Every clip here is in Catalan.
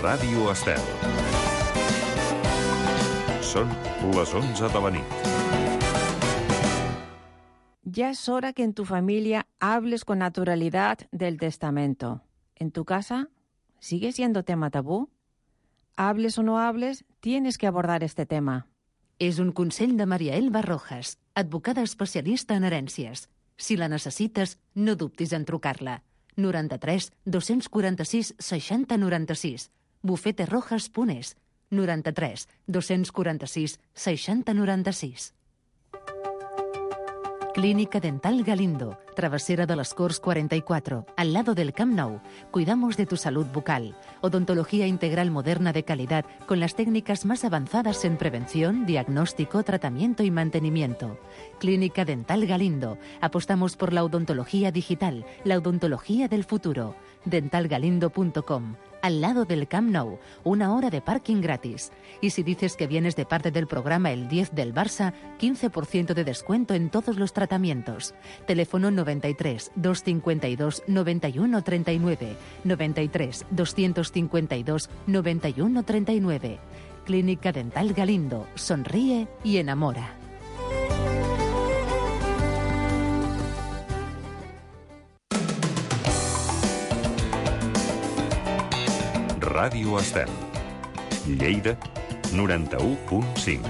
Ràdio Estel. Són les 11 de la nit. Ya es hora que en tu familia hables con naturalidad del testamento. ¿En tu casa sigue siendo tema tabú? Hables o no hables, tienes que abordar este tema. És un consell de Maria Elba Rojas, advocada especialista en herències. Si la necessites, no dubtis en trucar-la. 93 246 60 96. bufeterojas.es. 93 246 60 96. Clínica Dental Galindo, Travesera de las Corts 44, al lado del Camp Nou. Cuidamos de tu salud bucal. Odontología integral moderna de calidad con las técnicas más avanzadas en prevención, diagnóstico, tratamiento y mantenimiento. Clínica Dental Galindo. Apostamos por la odontología digital, la odontología del futuro. dentalgalindo.com. Al lado del Camp Nou, 1 hora de parking gratis. Y si dices que vienes de parte del programa El 10 del Barça, 15% de descuento en todos los tratamientos. Teléfono 93 252 91 39, 93 252 91 39. Clínica Dental Galindo. Sonríe y enamora. Ràdio Estel. Lleida, 91.5.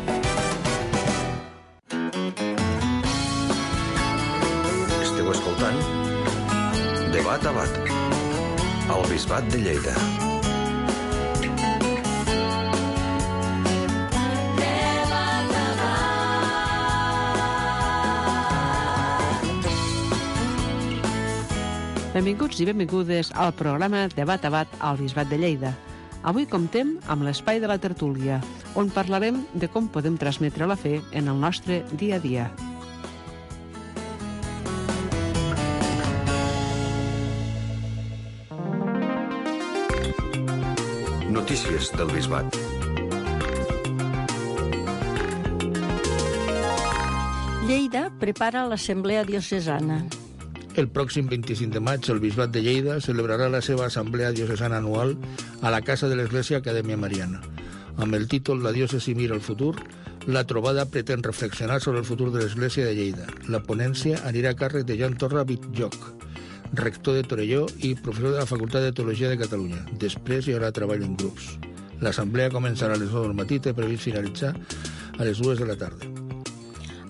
Esteu escoltant Debat a Bat, al Bisbat de Lleida. Benvinguts i benvingudes al programa Debat a Bat al Bisbat de Lleida. Avui comptem amb l'espai de la tertúlia, on parlarem de com podem transmetre la fe en el nostre dia a dia. Notícies del Bisbat. Lleida prepara l'Assemblea Diocesana. El pròxim 25 de maig, el Bisbat de Lleida celebrarà la seva assemblea diocesana anual a la Casa de l'Església Acadèmia Mariana. Amb el títol La diòcesi mira el futur, la trobada pretén reflexionar sobre el futur de l'Església de Lleida. La ponència anirà a càrrec de Joan Torra Bitjoc, rector de Torelló i professor de la Facultat de Teologia de Catalunya. Després hi haurà treball en grups. L'assemblea començarà a les 9 del matí i té previst finalitzar a les 2 de la tarda.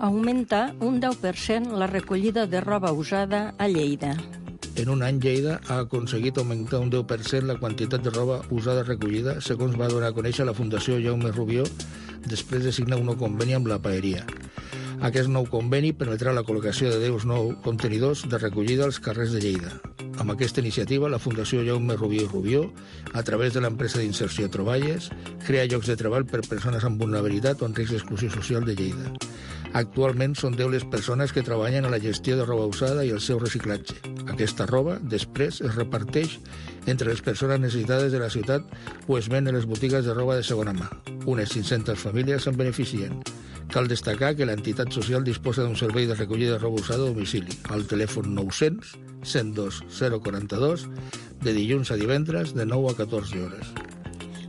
Augmenta un 10% la recollida de roba usada a Lleida. En un any, Lleida ha aconseguit augmentar un 10% la quantitat de roba usada recollida, segons va donar a conèixer la Fundació Jaume Rubió després de signar un nou conveni amb la paeria. Aquest nou conveni permetrà la col·locació de 10 nous contenidors de recollida als carrers de Lleida. Amb aquesta iniciativa, la Fundació Jaume Rubió i Rubió, a través de l'empresa d'inserció Troballes, crea llocs de treball per persones amb vulnerabilitat o en risc d'exclusió social de Lleida. Actualment són 10 les persones que treballen a la gestió de roba usada i el seu reciclatge. Aquesta roba, després, es reparteix entre les persones necessitades de la ciutat o es ven en les botigues de roba de segona mà. Unes 500 famílies se'n beneficien. Cal destacar que l'entitat social disposa d'un servei de recollida de roba usada a domicili, al telèfon 900 102 042, de dilluns a divendres, de 9 a 14 hores.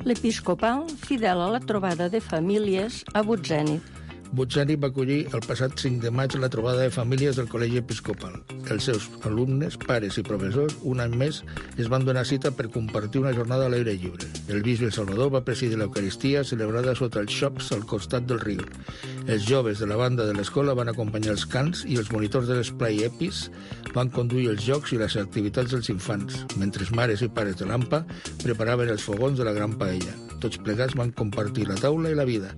L'Episcopal, fidel a la trobada de famílies a Butzènit. Butzènit va acollir el passat 5 de maig la trobada de famílies del Col·legi Episcopal. Els seus alumnes, pares i professors, un any més, es van donar cita per compartir una jornada a l'aire lliure. El bisbe Salvador va presidir l'Eucaristia celebrada sota els xops al costat del riu. Els joves de la banda de l'escola van acompanyar els cants i els monitors de l'esplai Epis van conduir els jocs i les activitats dels infants, mentre mares i pares de l'AMPA preparaven els fogons de la gran paella. Tots plegats van compartir la taula i la vida,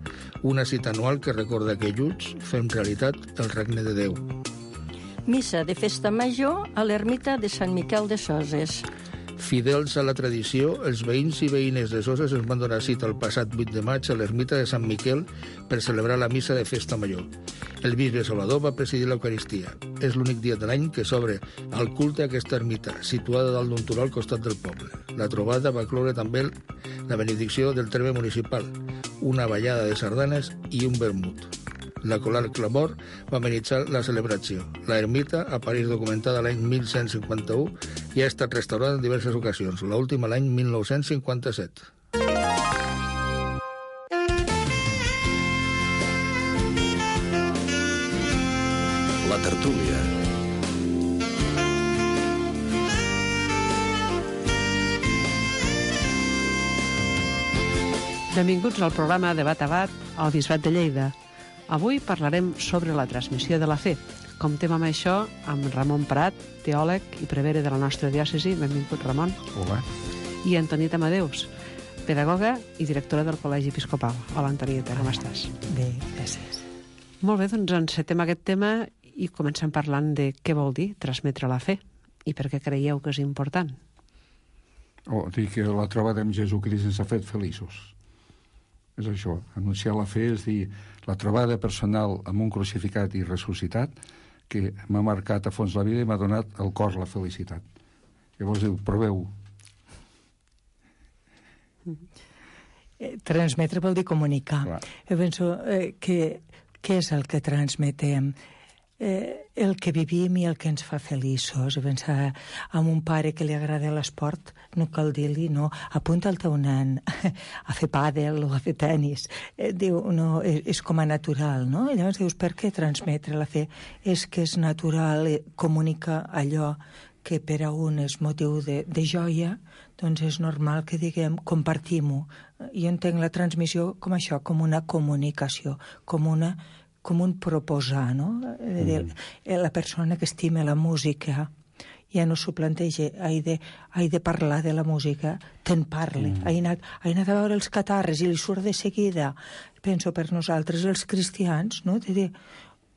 una cita anual que recorda que junts fem realitat el regne de Déu. Missa de festa major a l'ermita de Sant Miquel de Soses. Fidels a la tradició, els veïns i veïnes de Soses es van donar cita el passat 8 de maig a l'ermita de Sant Miquel per celebrar la missa de festa major. El bisbe Salvador va presidir l'Eucaristia. És l'únic dia de l'any que s'obre al culte a aquesta ermita, situada dalt d'un turó al costat del poble. La trobada va cloure també la benedicció del terme municipal, una ballada de sardanes i un vermut. La Colar Clamor va amenitzar la celebració. La ermita apareix documentada l'any 1151 i ha estat restaurada en diverses ocasions, l'última l'any 1957. tertúlia. Benvinguts al programa Debat a Bat al Bisbat de Lleida. Avui parlarem sobre la transmissió de la fe. Comptem amb això amb Ramon Prat, teòleg i prevere de la nostra diòcesi. Benvingut, Ramon. Hola. I Antonieta Amadeus, pedagoga i directora del Col·legi Episcopal. Hola, Antonieta, com estàs? Bé, gràcies. Molt bé, doncs encetem aquest tema i comencem parlant de què vol dir transmetre la fe i per què creieu que és important. Dir que la trobada amb Jesucrist ens ha fet feliços. És això, anunciar la fe és dir la trobada personal amb un crucificat i ressuscitat que m'ha marcat a fons la vida i m'ha donat al cor la felicitat. Llavors diu, proveu. Transmetre vol dir comunicar. Clar. Jo penso que què és el que transmetem? El que vivim i el que ens fa feliços. Pensar en un pare que li agrada l'esport, no cal dir-li, no, apunta el teu nen a fer pàdel o a fer tenis. Diu, no, és com a natural, no? I llavors dius, per què transmetre la fe? És que és natural, comunica allò que per a un és motiu de joia, doncs és normal que diguem, compartim-ho. Jo entenc la transmissió com això, com una comunicació, com un proposar, no? La persona que estima la música ja no s'ho planteja, he de parlar de la música, te'n parle. He anat a veure els catarres i li surt de seguida. Penso per nosaltres, els cristians, no? De dir,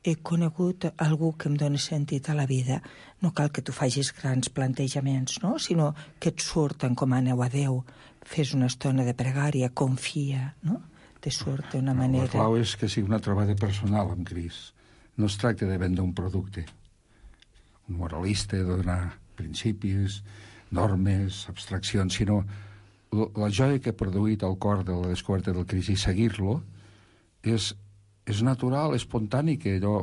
he conegut algú que em doni sentit a la vida. No cal que tu facis grans plantejaments, no? Sinó que et surt, encomaneu a Déu, fes una estona de pregària, confia, no? Te surt d'una manera... La clau és que sigui una trobada personal amb Crist. No es tracta de vendre un producte. Un moralista, de donar principis, normes, abstraccions, sinó la joia que ha produït el cor de la descoberta del Crist i seguir-lo és natural, espontani, que allò...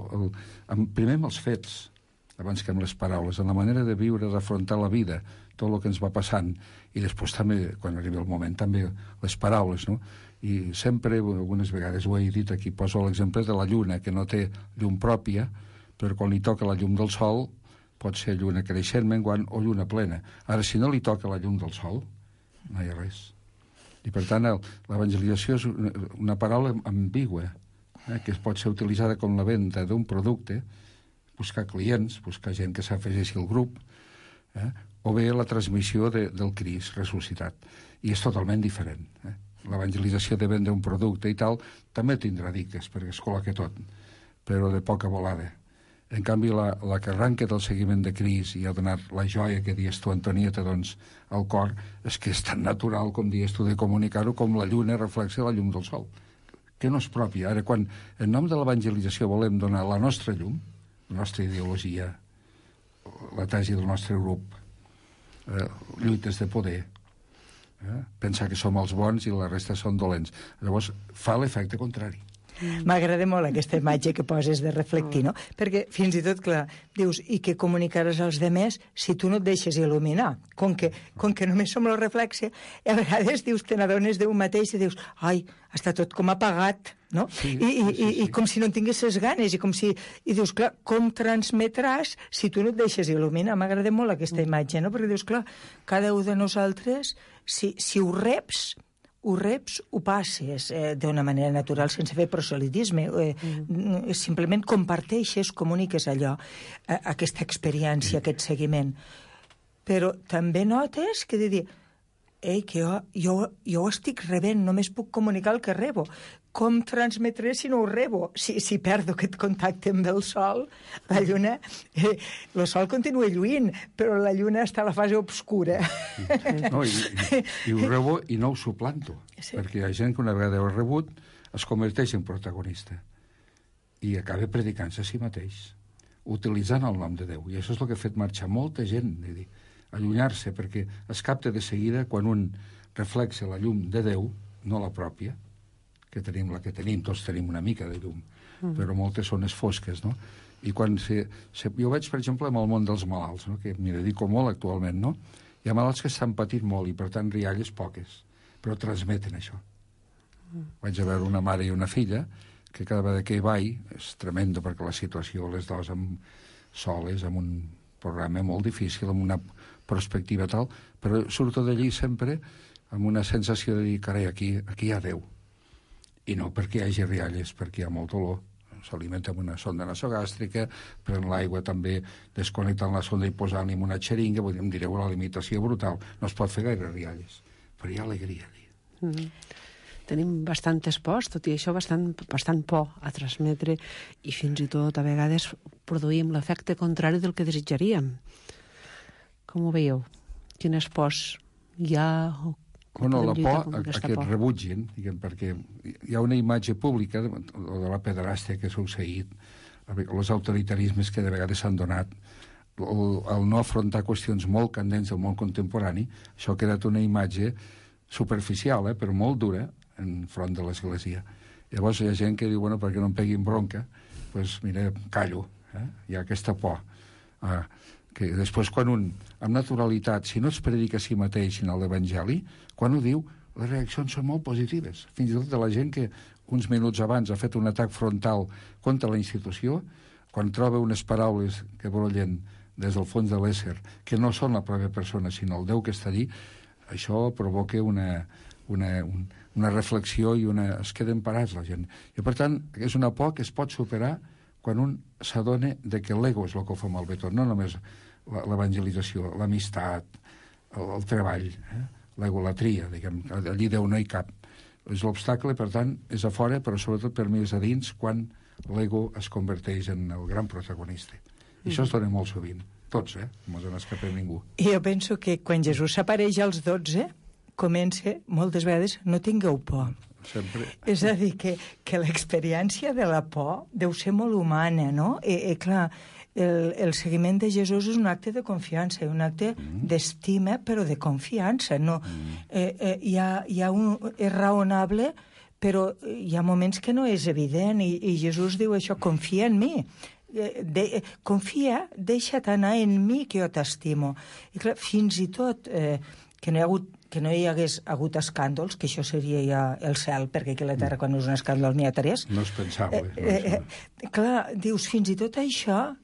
Primer amb els fets, abans que amb les paraules, en la manera de viure, d'afrontar la vida, tot el que ens va passant, i després també, quan arriba el moment, també les paraules, no? I sempre, algunes vegades ho he dit aquí, poso l'exemple de la lluna, que no té llum pròpia, però quan li toca la llum del sol, pot ser lluna creixent, menguant o lluna plena. Ara, si no li toca la llum del sol, no hi ha res. I, per tant, l'evangelització és una paraula ambigua, que pot ser utilitzada com la venda d'un producte, buscar clients, buscar gent que s'afegeixi al grup, o bé la transmissió del Crist ressuscitat. I és totalment diferent. L'evangelització de vendre un producte i tal també tindrà diques, perquè es col·loca tot, però de poca volada. En canvi, la que arranca del seguiment de Crist i ha donat la joia que dius tu, Antonieta, doncs, al cor, és que és tan natural, com dius tu, de comunicar-ho com la lluna reflexa la llum del sol, que no és pròpia. Ara, quan en nom de l'evangelització volem donar la nostra llum, la nostra ideologia, la tesi del nostre grup, lluites de poder, pensar que som els bons i la resta són dolents. Llavors, fa l'efecte contrari. M'agrada molt aquesta imatge que poses de reflectir, no? Perquè fins i tot, clar, dius, i què comunicaràs als demés si tu no et deixes il·luminar? Com que només som el reflexe, i a vegades dius, te n'adones d'un mateix i dius, ai, està tot com apagat, no? Sí. I com si no en tinguessis ganes, i dius, clar, com transmetràs si tu no et deixes il·luminar? M'agrada molt aquesta imatge, no? Perquè dius, clar, cada un de nosaltres, si ho reps, ho passes d'una manera natural, sense fer proselitisme. Simplement comparteixes, comuniques allò, aquesta experiència, aquest seguiment. Però també notes que de dir, que jo ho estic rebent, només puc comunicar el que rebo. Com transmetré si no ho rebo? Si perdo aquest contacte amb el sol, la lluna... el sol continua lluint, però la lluna està a la fase obscura. No, i ho rebo i no ho suplanto, perquè hi ha gent que una vegada ho ha rebut es converteix en protagonista i acaba predicant-se a si mateix, utilitzant el nom de Déu. I això és el que ha fet marxar molta gent, allunyar-se, perquè es capta de seguida quan un reflexa la llum de Déu, no la pròpia, que tenim la que tenim, tots tenim una mica de llum, però moltes són fosques, no? I quan jo veig, per exemple, amb el món dels malalts, no? Que m'hi dedico molt actualment, no? Hi ha malalts que estan patint molt i, per tant, rialles poques, però transmeten això. Vaig a veure una mare i una filla que cada vegada que hi vaig és tremendo, perquè la situació, les dues soles, amb un programa molt difícil, amb una perspectiva tal, però surto d'allí sempre amb una sensació de dir, carai, aquí hi ha Déu. I no perquè hi hagi rialles, perquè hi ha molt dolor. S'alimenta amb una sonda nasogàstrica, pren l'aigua també desconnectant la sonda i posant-li en una xeringa, vull dir, em direu la limitació brutal. No es pot fer gaire rialles, però hi ha alegria allí. Tenim bastantes pors, tot i això bastant por a transmetre, i fins i tot a vegades produïm l'efecte contrari del que desitjaríem. Com ho veieu? Quines pors hi ha? Bueno, la por a que et rebutgin, diguem, perquè hi ha una imatge pública de la pederàstia que ha succeït, els autoritarismes que de vegades s'han donat, el no afrontar qüestions molt candents del món contemporani, això ha quedat una imatge superficial, però molt dura, en front de l'Església. Llavors hi ha gent que diu, bueno, perquè no em peguin bronca, doncs mira, callo, hi ha aquesta por. Que després quan amb naturalitat, si no es predica a si mateix en l'Evangeli, quan ho diu, les reaccions són molt positives. Fins i tot de la gent que uns minuts abans ha fet un atac frontal contra la institució, quan troba unes paraules que brollen des del fons de l'ésser, que no són la pròpia persona, sinó el Déu que està allí, això provoca una reflexió i es queden parats la gent. I per tant, és una por que es pot superar quan un s'adona que l'ego és el que ho fa malbé tot, no només l'evangelització, l'amistat, el treball, l'egolatria, diguem, allí Déu no hi cap. És l'obstacle, per tant, és a fora, però sobretot per mi és a dins, quan l'ego es converteix en el gran protagonista. I això es dona molt sovint, tots, no se n'escapa ningú. I jo penso que quan Jesús s'apareix als 12, comença, moltes vegades, no tingueu por. Sempre. És a dir, que l'experiència de la por deu ser molt humana, no? Clar, el seguiment de Jesús és un acte de confiança, un acte d'estima, però de confiança. No? És raonable, però hi ha moments que no és evident, i Jesús diu això, confia en mi. Confia, deixa't anar en mi, que jo t'estimo. I clar, fins i tot que no hi hagués hagut escàndols, que això seria ja el cel, perquè aquí a la Terra quan és un escàndol n'hi ha 3. No és pensable. Clar, dius, fins i tot això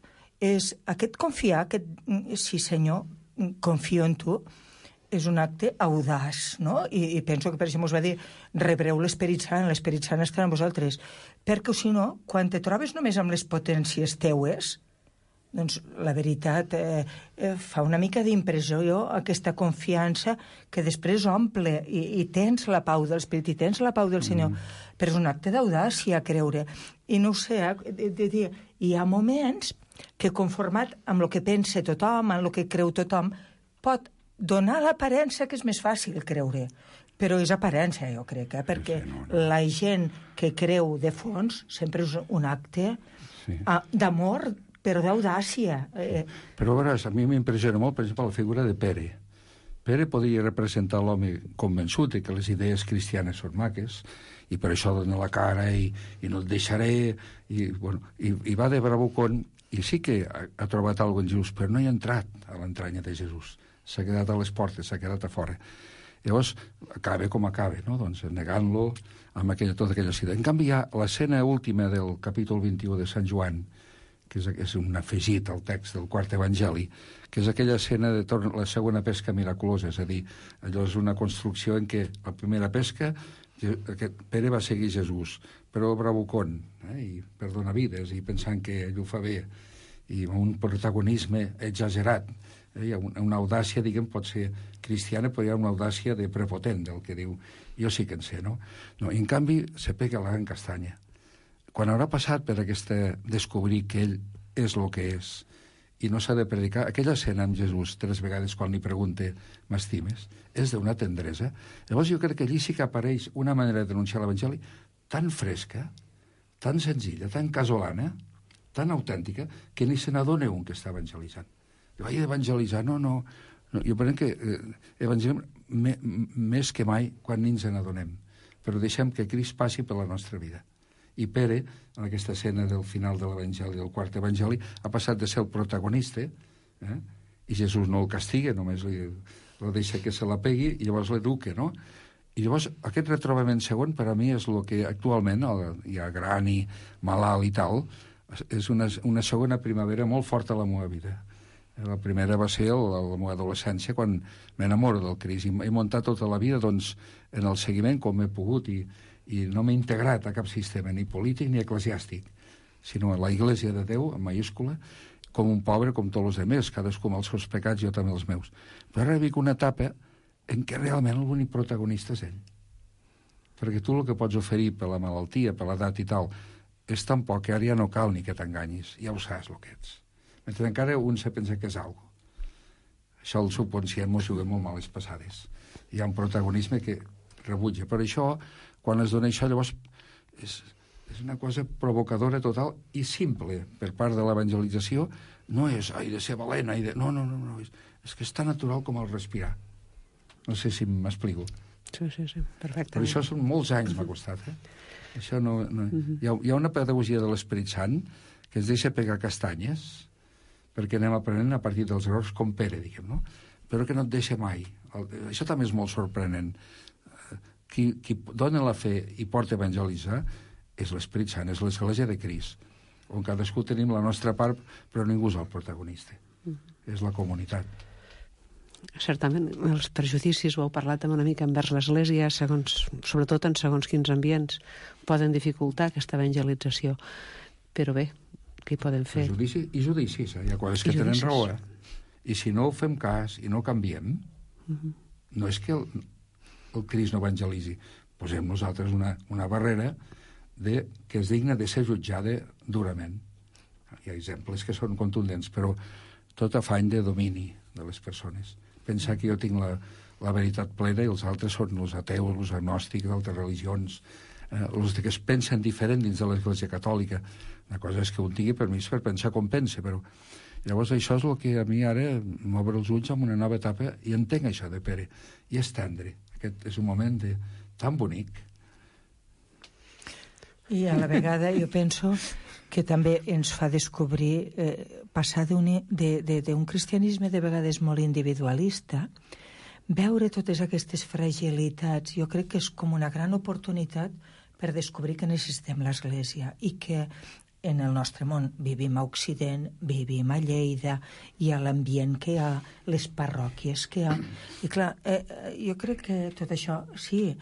és aquest confiar, sí senyor, confio en tu, és un acte audaç, no? I penso que per això mos va dir, rebreu l'Esperit Sant estarà amb vosaltres, perquè si no, quan te trobes només amb les potències teues, doncs la veritat fa una mica d'impressió aquesta confiança que després omple i tens la pau de l'Esperit i tens la pau del Senyor, però és un acte d'audàcia creure. I no ho sé, hi ha moments que conformat amb el que pensa tothom, amb el que creu tothom, pot donar l'aparença que és més fàcil creure. Però és aparença, jo crec, perquè la gent que creu de fons sempre és un acte d'amor, però d'audàcia. Però a veure, a mi m'impressiona molt, per exemple, la figura de Pere. Pere podia representar l'home convençut que les idees cristianes són maques, i per això dona la cara i no et deixaré, i va de bravucon, i sí que ha trobat alguna cosa en Jesús, però no hi ha entrat a l'entranya de Jesús. S'ha quedat a les portes, s'ha quedat a fora. Llavors, acaba com acaba, no? Doncs negant-lo amb tota aquella cita. En canvi, hi ha l'escena última del capítol 21 de Sant Joan, que és un afegit al text del quart evangeli, que és aquella escena de la segona pesca miraculosa, és a dir, allò és una construcció en què la primera pesca, Pere va seguir Jesús, però bravucon, i per donar vides, i pensant que ell ho fa bé, i amb un protagonisme exagerat. Hi ha una audàcia, diguem, pot ser cristiana, però hi ha una audàcia de prepotent, del que diu, jo sí que en sé, no? I en canvi, se pega la gran castanya. Quan haurà passat per descobrir que ell és el que és i no s'ha de predicar, aquella escena amb Jesús 3 vegades quan li pregunta m'estimes, és d'una tendresa. Llavors jo crec que allí sí que apareix una manera de denunciar l'Evangeli tan fresca, tan senzilla, tan casolana, tan autèntica, que ni se n'adona un que està evangelitzant. Jo vaig evangelitzar, no. Jo penso que evangelitzem més que mai quan ni ens n'adonem, però deixem que Crist passi per la nostra vida. I Pere, en aquesta escena del final de l'Evangeli, del quart Evangeli, ha passat de ser el protagonista, i Jesús no el castiga, només el deixa que se la pegui, i llavors l'educa, no? I llavors aquest retrobament segon per a mi és el que actualment, ja gran i malalt i tal, és una segona primavera molt forta a la meva vida. La primera va ser la meva adolescència, quan m'enamoro del Crist. I he muntat tota la vida doncs, en el seguiment com he pogut i no m'he integrat a cap sistema, ni polític ni eclesiàstic, sinó a la Iglésia de Déu, en mayúscula, com un pobre, com tots els altres, cadascú amb els seus pecats, jo també els meus. Però ara vic una etapa en què realment l'únic protagonista és ell. Perquè tu el que pots oferir per la malaltia, per l'edat i tal, és tan poc que ara ja no cal ni que t'enganyis, ja ho saps el que ets. Mentre encara un se pensa que és algo. Això el subconscient m'ho juga molt males passades. Hi ha un protagonisme que rebutja. Per això, quan es dona això, llavors és una cosa provocadora total i simple per part de l'evangelització. No és, de ser valent, no, és que és tan natural com el respirar. No sé si m'explico. Sí, perfectament. Però això són molts anys m'ha costat, Això no... Hi ha una pedagogia de l'Esperit Sant que ens deixa pegar castanyes perquè anem aprenent a partir dels errors com Pere, diguem, no? Però que no et deixa mai. Això també és molt sorprenent. Qui dona la fe i porta a evangelitzar és l'Esperit Sant, és l'Església de Crist, on cadascú tenim la nostra part, però ningú és el protagonista. És la comunitat. Certament, els prejudicis, ho heu parlat una mica envers l'Església, sobretot en segons quins ambients, poden dificultar aquesta evangelització. Però bé, què hi podem fer? Prejudici i judicis, Hi ha coses que tenen raó, I si no fem cas i no canviem, no és que el Crist no evangelitzi. Posem nosaltres una barrera que és digna de ser jutjada durament. Hi ha exemples que són contundents, però tot afany de domini de les persones. Pensar que jo tinc la veritat plena i els altres són els ateus, els agnòstics d'altres religions, els que es pensen diferent dins de l'Església Catòlica. Una cosa és que un tingui permís per pensar com pensa, però llavors això és el que a mi ara m'obre els ulls en una nova etapa i entenc això de Pere. I és tendre. Aquest és un moment tan bonic. I a la vegada jo penso que també ens fa descobrir, passar d'un cristianisme de vegades molt individualista, veure totes aquestes fragilitats. Jo crec que és com una gran oportunitat per descobrir que necessitem l'Església i que en el nostre món vivim a Occident, vivim a Lleida, hi ha l'ambient que hi ha, les parròquies que hi ha. I clar, jo crec que tot això, sí,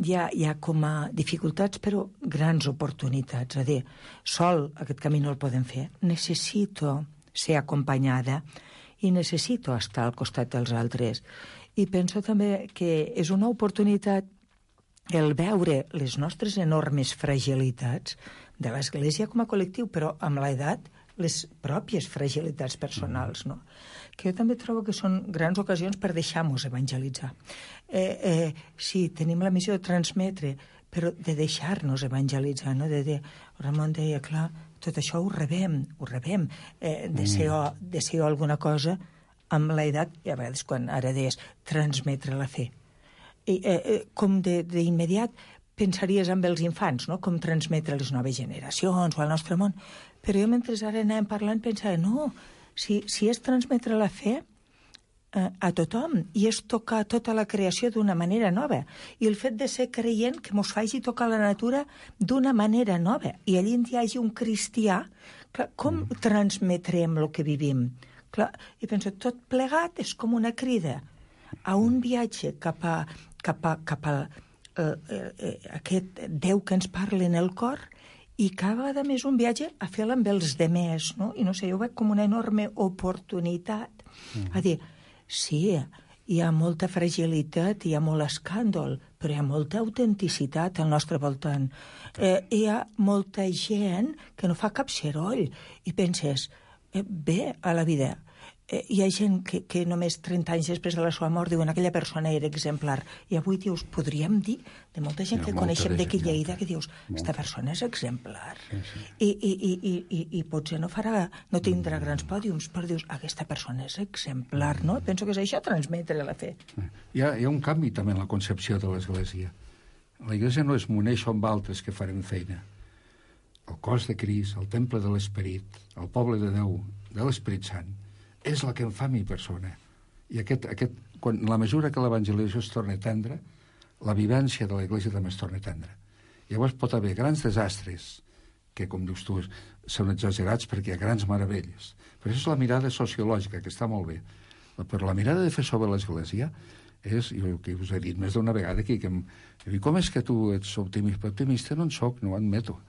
hi ha com a dificultats, però grans oportunitats. És a dir, sol aquest camí no el podem fer. Necessito ser acompanyada i necessito estar al costat dels altres. I penso també que és una oportunitat el veure les nostres enormes fragilitats de l'Església com a col·lectiu, però amb l'edat les pròpies fragilitats personals, no? Que jo també trobo que són grans ocasions per deixar-nos evangelitzar. Sí, tenim la missió de transmetre, però de deixar-nos evangelitzar, no? Ramon deia, clar, tot això ho rebem, deseo alguna cosa amb l'edat, i a vegades quan ara deies transmetre la fe. Com d'immediat pensaries en els infants, no? Com transmetre les noves generacions o al nostre món. Però jo mentre ara anàvem parlant pensava, no, si és transmetre la fe a tothom i és tocar tota la creació d'una manera nova, i el fet de ser creient que mos faci tocar la natura d'una manera nova, i allí hi hagi un cristià, clar, com transmetrem el que vivim? Clar, i penso, tot plegat és com una crida a un viatge cap a aquest Déu que ens parla en el cor, i cada vegada més un viatge a fer-la amb els demés, no? I no sé, jo ho veig com una enorme oportunitat. A dir, sí, hi ha molta fragilitat, hi ha molt escàndol, però hi ha molta autenticitat al nostre voltant. Hi ha molta gent que no fa cap soroll i penses, bé a la vida. Hi ha gent que només 30 anys després de la seva mort diuen aquella persona era exemplar. I avui dius, podríem dir de molta gent que coneixem d'aquí Lleida que dius, aquesta persona és exemplar. I potser no tindrà grans pòdiums, però dius, aquesta persona és exemplar, no? Penso que és això, transmetre la fe. Hi ha un canvi també en la concepció de l'Església. L'Església no és moneixo amb altres que farem feina. El cos de Crist, el temple de l'Esperit, el poble de Déu, de l'Esperit Sant, és la que em fa mi persona. I quan la mesura que l'evangelització es torna tendra, la vivència de l'Església també es torna tendra. Llavors pot haver grans desastres, que, com dius tu, són exagerats perquè hi ha grans meravelles. Però això és la mirada sociològica, que està molt bé. Però la mirada de fer sobre l'Església és, jo que us he dit més d'una vegada aquí, com és que tu ets optimista? Optimista no en soc, no ho admeto.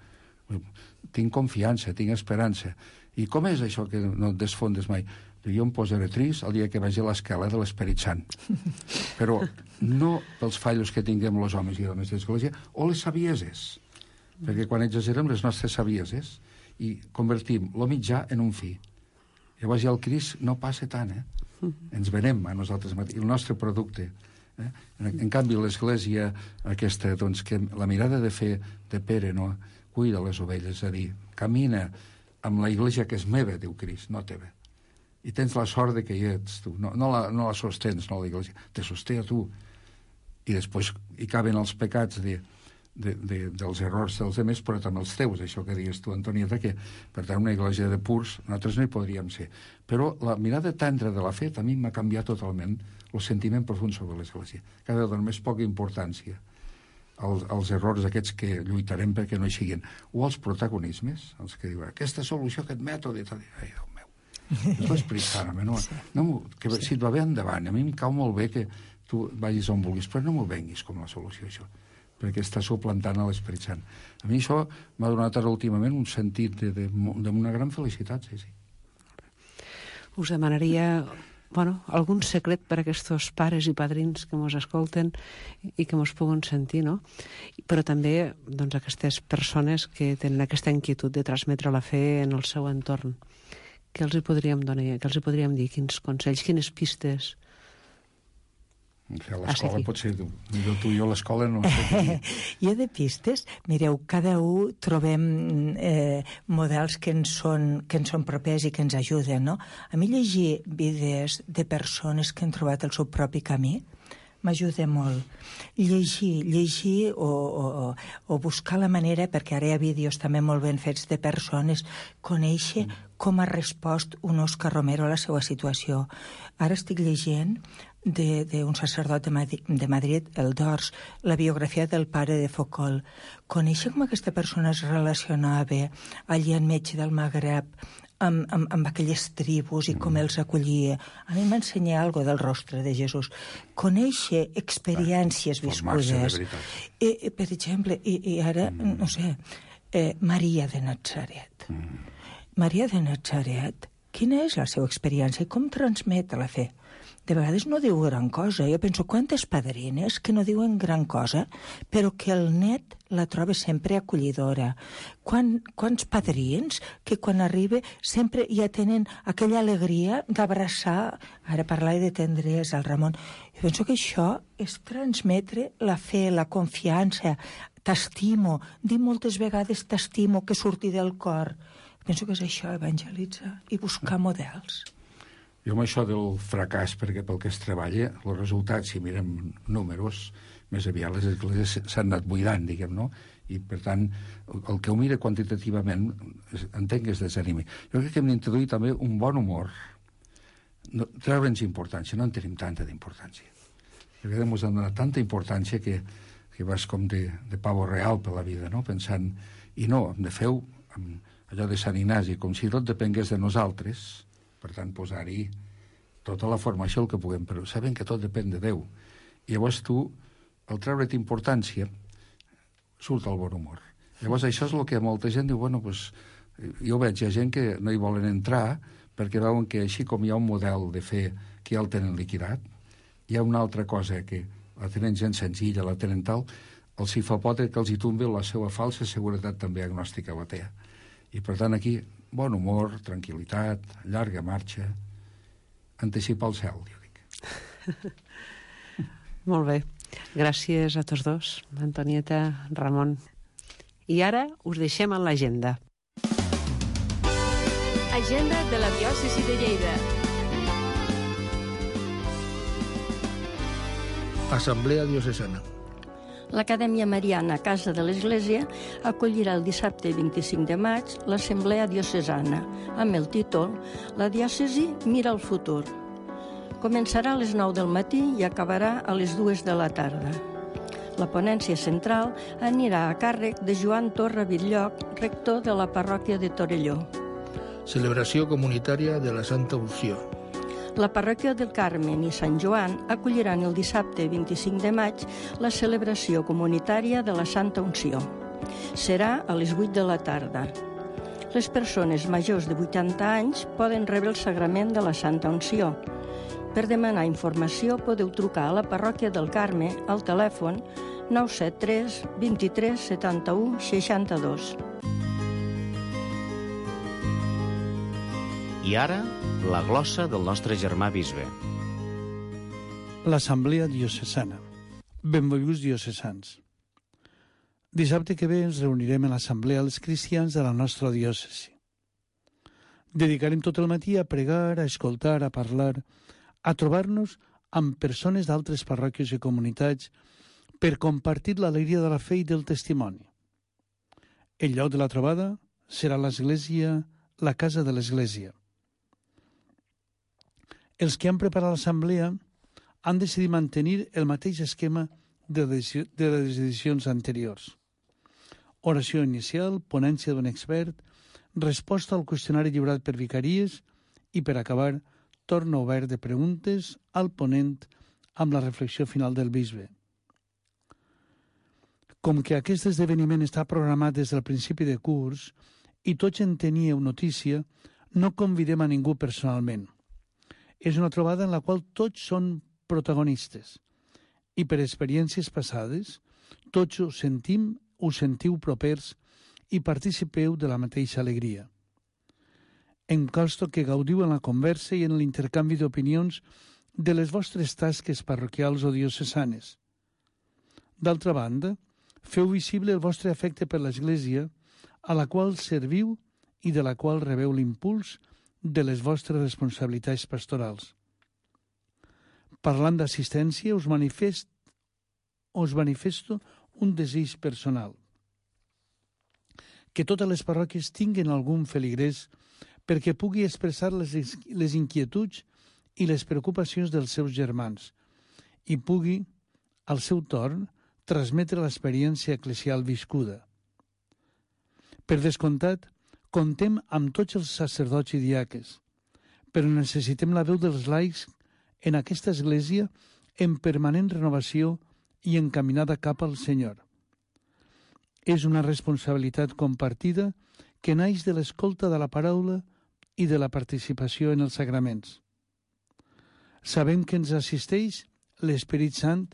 Tinc confiança, tinc esperança. I com és això que no et desfondes mai? Jo em posaré trist el dia que vagi a l'escala de l'Esperit Sant. Però no pels fallos que tinguem els homes i dones d'Església, o les savieses. Perquè quan exagerem les nostres savieses i convertim el mitjà en un fi. Llavors ja el Crist no passa tant, Ens venem a nosaltres mateixos, el nostre producte. En canvi, l'Església aquesta, doncs, que la mirada de fer de Pere, no? Cuida les ovelles, és a dir, camina amb la Iglesia que és meva, diu Crist, no teva. I tens la sort de que hi ets, tu. No la sostens, no la Iglesia, te sosté a tu. I després hi caben els pecats dels errors dels altres, però també els teus, això que digues tu, Antonieta, que per tant una Iglesia de purs nosaltres no hi podríem ser. Però la mirada tendra de la fe també m'ha canviat totalment el sentiment profund sobre l'Església. Cada vegada més poca importància als errors aquests que lluitarem perquè no hi siguin. O als protagonismes, els que diuen aquesta solució, aquest mètode, ai, Déu meu, és l'Esperit Sant, que si et va bé endavant, a mi em cau molt bé que tu vagis on vulguis, però no m'ho venguis com la solució, això, perquè està suplantant a l'Esperit Sant. A mi això m'ha donat ara últimament un sentit d'una gran felicitat, sí. Us demanaria algun secret per a aquests pares i padrins que mos escolten i que mos puguen sentir, no? Però també aquestes persones que tenen aquesta inquietud de transmetre la fe en el seu entorn. Què els hi podríem donar? Què els hi podríem dir? Quins consells, quines pistes? A l'escola potser, millor tu i jo a l'escola no sé. Jo de pistes, mireu, cada un trobem models que ens són propers i que ens ajuden, no? A mi llegir vides de persones que han trobat el seu propi camí m'ajuda molt. Llegir o buscar la manera, perquè ara hi ha vídeos també molt ben fets de persones, conèixer com ha respost un Òscar Romero a la seva situació. Ara estic llegint d'un sacerdot de Madrid, el Dors, la biografia del pare de Foucault. Conèixer com aquesta persona es relacionava allí enmig del Magreb amb aquelles tribus i com els acollia. A mi m'ensenya alguna del rostre de Jesús. Conèixer experiències viscudes. Per exemple, i ara, no sé, Maria de Natzaret. Maria de Natzaret, quina és la seva experiència i com transmet la fe? De vegades no diu gran cosa. Jo penso, quantes padrines que no diuen gran cosa, però que el net la troba sempre acollidora. Quants padrins que quan arriba sempre ja tenen aquella alegria d'abraçar, ara parlava de tendresa al Ramon. Jo penso que això és transmetre la fe, la confiança, t'estimo, dir moltes vegades t'estimo, que surti del cor. Penso que és això, evangelitzar i buscar models. Jo amb això del fracàs, perquè pel que es treballa, els resultats, si mirem números, més aviat les esglésies s'han anat buidant, diguem, no? I, per tant, el que ho mira quantitativament, entenc que es desanimi. Jo crec que hem d'introduir també un bon humor. Treure'ns importància, no en tenim tanta d'importància. Perquè ens han donat tanta importància que vas com de pavo real per la vida, no? Pensant, i no, hem de fer-ho amb allò de Sant Ignasi, com si tot depengués de nosaltres, per tant, posar-hi tota la formació el que puguem, però sabem que tot depèn de Déu. I llavors tu, al treure't importància, surt el bon humor. Llavors això és el que molta gent diu, jo veig, hi ha gent que no hi volen entrar perquè veuen que així com hi ha un model de fer que ja el tenen liquidat, hi ha una altra cosa que la tenen gent senzilla, la tenen tal, els hi fa por que els hi tombi la seva falsa seguretat també agnòstica o atea. I per tant aquí, bon humor, tranquil·litat, llarga marxa, anticipar el cel, jo dic. Molt bé. Gràcies a tots dos, Antonieta, Ramon. I ara us deixem en l'agenda. Agenda de la diòcesi de Lleida. Assemblea diocesana. L'Acadèmia Mariana Casa de l'Església acollirà el dissabte 25 de maig l'Assemblea Diocesana, amb el títol La diòcesi mira al futur. Començarà a les 9 del matí i acabarà a les 2 de la tarda. La ponència central anirà a càrrec de Joan Torra Bitlloc, rector de la parròquia de Torelló. Celebració comunitària de la Santa Unció. La parròquia del Carmen i Sant Joan acolliran el dissabte 25 de maig la celebració comunitària de la Santa Unció. Serà a les 8 de la tarda. Les persones majors de 80 anys poden rebre el sagrament de la Santa Unció. Per demanar informació podeu trucar a la parròquia del Carme al telèfon 973 23 71 62. I ara, la glossa del nostre germà bisbe. L'Assemblea Diocesana. Benvolguts diocesans. Dissabte que ve ens reunirem a l'Assemblea els cristians de la nostra diòcesi. Dedicarem tot el matí a pregar, a escoltar, a parlar, a trobar-nos amb persones d'altres parròquies i comunitats per compartir l'alegria de la fe i del testimoni. El lloc de la trobada serà l'església, la casa de l'església. Els que han preparat l'assemblea han decidit mantenir el mateix esquema de les edicions anteriors. Oració inicial, ponència d'un expert, resposta al qüestionari lliurat per vicaries i, per acabar, torn obert de preguntes al ponent amb la reflexió final del bisbe. Com que aquest esdeveniment està programat des del principi de curs i tots en teníeu notícia, no convidem a ningú personalment. És una trobada en la qual tots són protagonistes i per experiències passades tots ho sentiu propers i participeu de la mateixa alegria. Em consta que gaudiu en la conversa i en l'intercanvi d'opinions de les vostres tasques parroquials o diocesanes. D'altra banda, feu visible el vostre afecte per l'Església, a la qual serviu i de la qual rebeu l'impuls de les vostres responsabilitats pastorals. Parlant d'assistència, us manifesto un desig personal. Que totes les parròquies tinguen algun feligrès perquè pugui expressar les inquietuds i les preocupacions dels seus germans i pugui, al seu torn, transmetre l'experiència eclesial viscuda. Per descomptat, contem amb tots els sacerdots i diaques, però necessitem la veu dels laics en aquesta església en permanent renovació i encaminada cap al Senyor. És una responsabilitat compartida que naix de l'escolta de la paraula i de la participació en els sagraments. Sabem que ens assisteix l'Esperit Sant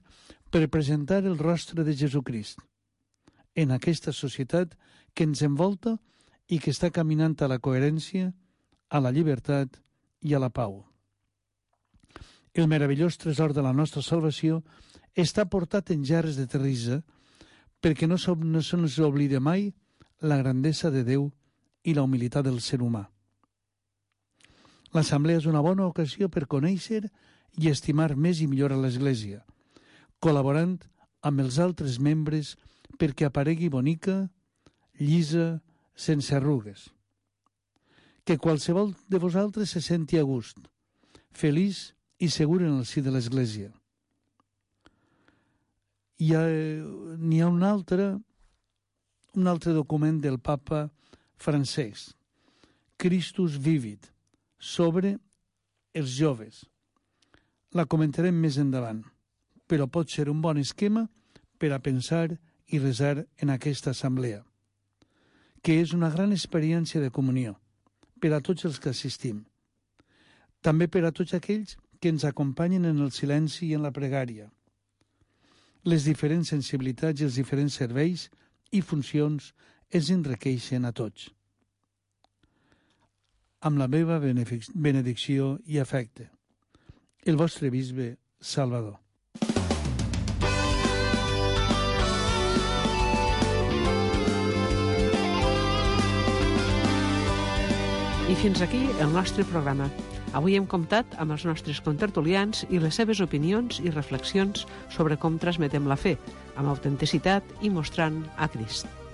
per presentar el rostre de Jesucrist en aquesta societat que ens envolta i que està caminant a la coherència, a la llibertat i a la pau. El meravellós tresor de la nostra salvació està portat en gerres de terrissa perquè no se'ns oblida mai la grandesa de Déu i la humilitat del ser humà. L'assemblea és una bona ocasió per conèixer i estimar més i millor a l'Església, col·laborant amb els altres membres perquè aparegui bonica, llisa, sense arrugues. Que qualsevol de vosaltres se senti a gust, feliç i segur en el si de l'Església. N'hi ha un altre document del papa Francesc, Christus Vivit, sobre els joves. La comentarem més endavant, però pot ser un bon esquema per a pensar i resar en aquesta assemblea, que és una gran experiència de comunió per a tots els que assistim. També per a tots aquells que ens acompanyen en el silenci i en la pregària. Les diferents sensibilitats i els diferents serveis i funcions ens enriqueixen a tots. Amb la meva benedicció i afecte. El vostre bisbe Salvador. I fins aquí el nostre programa. Avui hem comptat amb els nostres contertulians i les seves opinions i reflexions sobre com transmetem la fe, amb autenticitat i mostrant a Crist.